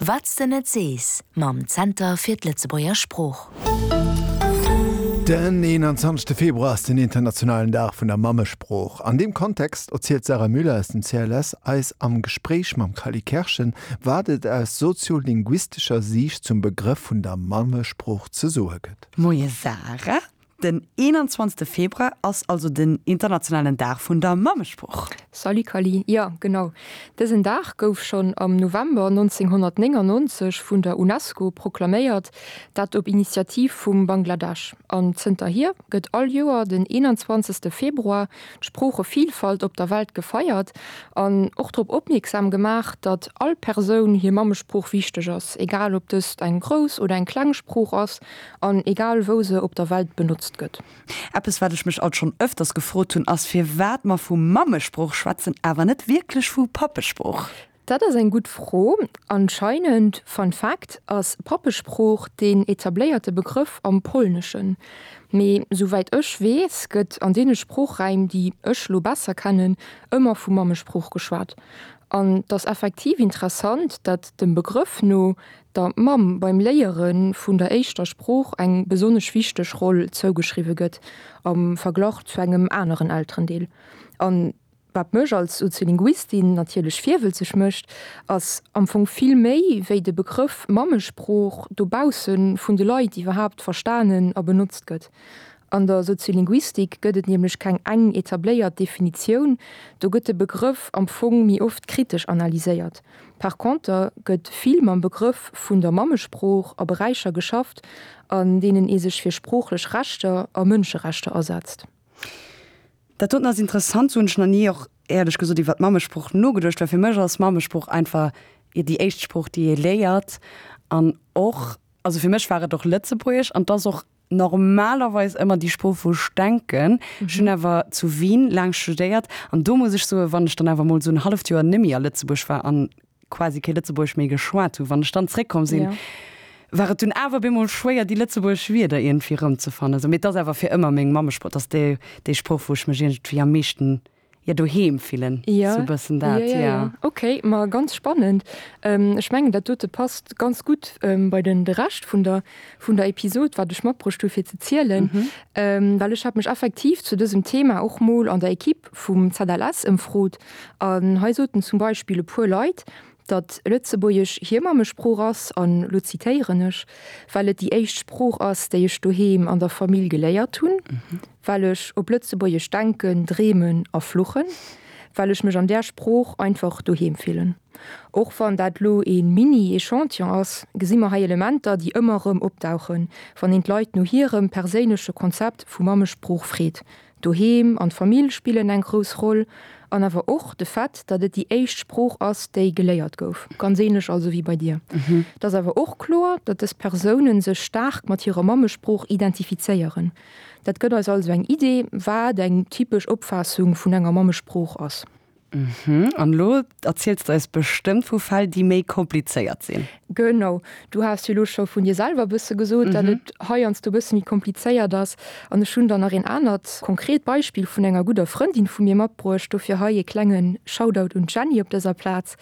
Wat s de net sees mam Zenter fir d'Lëtzebuerger Sprooch. Den 21. Februar ass den internationalen Dag vun der Mammesprooch. An deem Kontext erzielt d'Sarah Müller aus dem CLS eis am Gespréich mam Cally Kerschen, wat et aus soziolinguistescher Siicht zum Begrëff vun der Mammesprooch ze soe gëtt. Moie Sarah, Den 21. Februar ass also den internationalen Dag vun der Mammesprooch. Salut Kally, jo genau, dësen Dag gouf schonn am November 1999 vun der Unesco proklaméiert, dat op Initiativ vum Bangladesch. An zënterhier gëtt all Joer den 21. Februar d'Sproochevilfalt op der Welt gefeiert an och drop opmierksam gemaach, datt all Persoun hir Mammesprooch wichteg ass, egal ob dëst eng grouss oder eng kleng Sprooch ass. An egal wou se op der Welt benotzt gëtt. Eppes wat ech mech alt schonn ëfters gefrot hunn ass firwat mer vu Mammesprooch schwätzen awer net wierklech vu Pappesprooch. Dat ass eng gutt Fro. Anscheinend, Fun Fact, ass Pappesprooch deen etabléierte Begrëff am Polneschen. Mee souwäit ech weess gëtt an deene Sproochräim déi ech lo besser kennen ëmmer vu Mammesprooch geschwat. An 't ass effektiv interessant, dat dem Begrëff no der Mamm beim Léiere vun der éischter Sprooch eng besonnesch wichteg Roll zougeschriwwe gëtt am Verglach zu engem aneren Elterendeel. An wat mech als Soziolinguistin natierlech virwëlzeg mécht, ass am Fong vill méi, wéi de Begrëff Mammesprooch dobausse vun de Leit iwwerhaapt verstanen a benotzt gëtt. An der Soziolinguistik gëtt et nämlech keng eng etabléiert Definitioun, do gëtt de Begrëff am Fong méi oft kritesch analyséiert. Par conter gëtt vill mam Begrëff vun der Mammesprooch a Beräicher geschafft, an deenen ee sech fir sproochlech Rechter a Mënscherechter asetzt. Dat doten ass interessant, sou hunn ech nach ni och éierlech gesot iwwer d'Mammesprooch nogeduecht, well fir mech ass Mammesprooch einfach déi éischt Sprooch, déi ee léiert an och, also fir mech war et och Lëtzebuergesch an 't ass och normalerweis ëmmer déi Sprooch wou ech denken. Ech hunn awer zu Wien laang studéiert an do muss ech soen, wann ech dann awer mol esou en halleft Joer nemmi a Lëtzebuerg war an quasi kee Lëtzebuergesch méi geschwat hunn, wann ech dann zréckkomm sinn, war et dunn awer bemol schwéier déi lëtzebuergesch Wierder iergendwéi erëmzefannen. Mee et ass awer fir ëmmer meng Mammesprooch, et ass déi déi Sprooch wou ech mech iergendwéi am meeschten jo doheem fillen, Ja, sou bëssen dat, ja, ja, ja. Ok, ma ganz spannend. Ech mengen dat dote passt ganz gutt bei den de Rescht vun der vun der Episod, wat ech matbruecht hu fir ze zielen, well ech hat mech effektiv zu dësem Thema och mol an der Equipe vum ZLS ëmfrot an hei soten zum Beispill e puer Leit, datt Lëtzebuergesch hir Mammesprooch ass, an lo zitéieren ech, well et déi éischt Sprooch ass, déi ech doheem an der Famill geléiert hunn, well ech op Lëtzebuergesch denken, dreemen a fluchen, well ech mech an där Sprooch einfach doheem fillen. Och wann dat lo ee Mini-Echantillon ass, gesi mer hei Elementer, déi ëmmer erëm opdauchen, wann een d'Leit no hirem perséinleche Konzept vu Mammesprooch freet. Doheem an d'Famill spillen eng grouss Roll, an awer och de Fait, datt et déi éischt Sprooch ass, déi geléiert gouf. Ganz ähnlech also wéi bei dir. Et ass awer och kloer, datt dës Persounen sech staark mat hirer Mammesprooch identifizéieren. Dat gëtt eis also eng Idee, wat eng typesch Opfaassung vun enger Mammesprooch ass. Mhm, an elo erziels de eis bestëmmt vu Fäll, déi méi komplizéiert sinn. Genau, du has jo elo scho vun dir selwer e bësse gesot, datt et heiansdo e bësse méi komplizéiert ass. An ech hunn dann nach een anert konkret Beispill vun enger gudder Frëndin vu mir matbruecht. Dofir hei e klenge Shoutout un d'Jenny op dëser Plaz.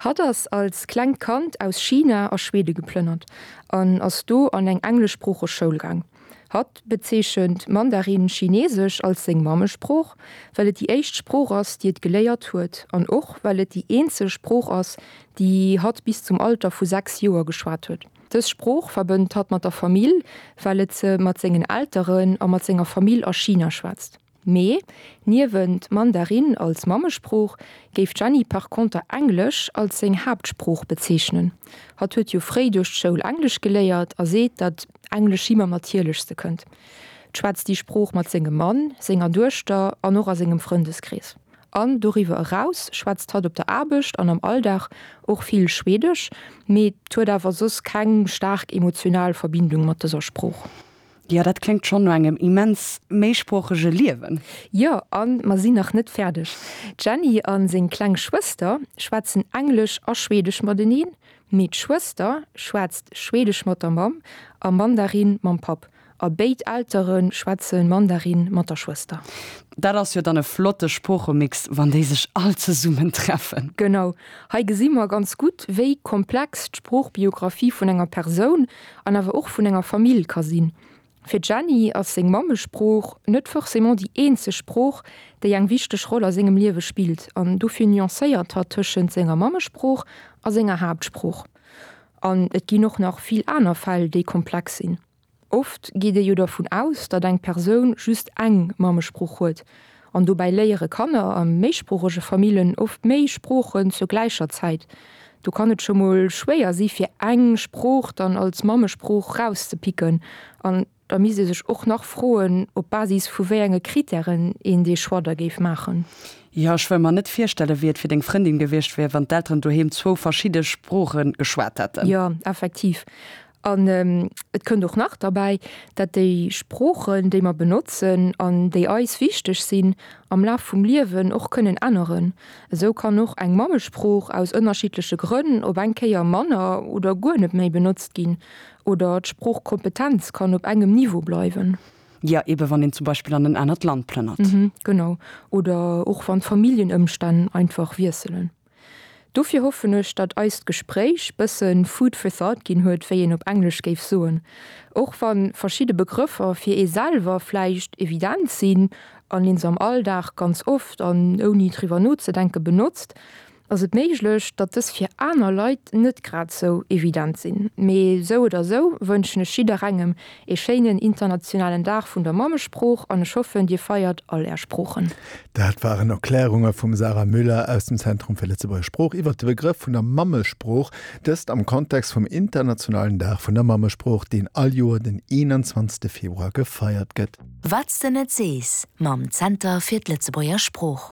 Hatt ass als klengt Kand aus China a Schwede geplënnert an ass do an eng engleschsproocheg Schoul gaang. Hatt bezeechent Mandarin-Chinesesch als seng Mammesprooch, well et déi éischt Sprooch ass, déi et geléiert huet, an och well et déi eenzeg Sprooch ass, déi hatt bis zum Alter vu 6 Joer geschwat huet. Dës Sprooch verbënnt hatt mat der Famill, well et se mat sengen Elteren a mat senger Famill a China schwätzt. Mee niewent Mandarin als Mammesprooch géif d'Jenny par conter Englesch als seng Haaptsprooch bezeechnen. Hatt huet jo fréi duerch d'Schoul Englesch geléiert a seet, datt Englesch him am natierlechste kënnt. Schwätzt déi Sprooch mat sengem Mann, senger Duechter an och a sengem Frëndeskrees. An doriwwer eraus schwätzt hatt op der Aarbecht an am Alldag och vill Schwedesch, mee huet awer soss keng staark emotional Verbindung mat dëser Sprooch. Jo, dat kléngt schonn no engem immens méisproochege Liewen. Jo, a mer sinn nach net fäerdeg. D'Jenny a seng kleng Schwëster schwätzen Englesch a Schwedesch mateneen, mee d'Schwëster schwätzt Schwedesch mat der Mamm a Mandarin mam Papp. A béid Eltere schwätze Mandarin mat der Schwëster. Dat ass jo dann e flotte Sproochemix, wann déi sech all zesummen treffen. Genau. Hei gesi mer ganz gutt, wéi komplex d'Sproochbiographie vun enger Persoun an awer och vun enger Famill ka sinn. Fir d'Jenny ass seng Mammesprooch net forcément déi eenzeg Sprooch, déi eng wichteg Roll a sengem Liewe spillt an dofir nuancéiert hatt tëschent senger Mammesprooch a senger Haaptsprooch. An et ginn och nach vill aner Fäll, déi komplex sinn. Oft geet ee jo dervun aus, datt eng Persoun just eng Mammesprooch huet. An dobäi léiere Kanner a méisproochege Famillen oft méi Sproochen zur gläicher Zäit. Do kann et scho mol schwéier si fir eng Sprooch dann als Mammesprooch rauszepicken. An da misst ee sech och nach froen, op Basis vu wéi enge Krittären een dee Choix da géif maachen. Jo, ech wëll mer net virstellen, wéi et fir deng Frëndin gewiescht wier, wann d'Elteren doheem zwou verschidde Sprooche geschwat hätten. Jo, effektiv. An et kënnt och nach derbäi, dat déi Sproochen, déi mer benotzen an déi eis wichteg sinn, am Laf vum Liewen och kënnen änneren. Esou kann och eng Mammesprooch aus ënnerschiddleche Grënn op eng Kéier manner oder guer net méi benotzt ginn oder d'Sproochkompetenz kann op engem Niveau bleiwen. Jo, ebe wann een zum Beispill an en anert Land plënnert. Genau. Oder och wann d'Familljenëmstänn einfach wiesselen. Dofir hoffen ech, datt eist Gespréich bëssen food for thought ginn huet, wéi een op Englesch géif soen. Och wa verschidde Begrëffer fir ee selwer vläicht evident sinn an een se am Alldag ganz oft an ouni driwwer nozedenke benotzt, ass et méiglech, datt dës fir aner Leit net grad sou evident sinn. Mee sou oder sou wënschen ech jidderengem ee schéinen internationalen Dag vun der Mammesprooch an ech hoffen, dir feiert all är Sproochen. Dat waren Erklärunge vum Sarah Müller aus dem Zentrum fir Lëtzebuerger Sprooch iwwert de Begrëff vun der Mammesprooch, dëst am Kontext vum internationalen Dag vun der Mammesprooch, deen all Joer den 21 Februar gefeiert gëtt. Wat s de net sees mam Zenter fir d'Lëtzebuerger Sprooch.